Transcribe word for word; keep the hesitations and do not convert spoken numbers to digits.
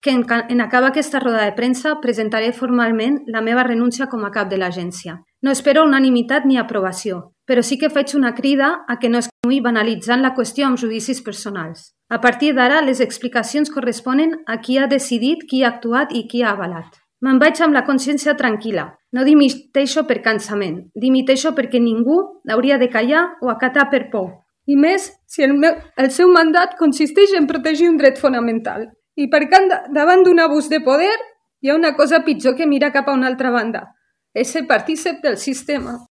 que en, en acabar aquesta roda de premsa presentaré formalment la meva renúncia com a cap de l'agència. No espero unanimitat ni aprovació, però sí que faig una crida a que no es continuï banalitzant la qüestió amb judicis personals. A partir d'ara, les explicacions corresponen a qui ha decidit, qui ha actuat i qui ha avalat. Me'n vaig amb la consciència tranquil·la. No dimiteixo per cansament, dimiteixo perquè ningú hauria de callar o acatar per por. I més si el, meu, el seu mandat consisteix en protegir un dret fonamental. I perquè davant d'un abús de poder hi ha una cosa pitjor que mirar cap a una altra banda. És ser partícip del sistema.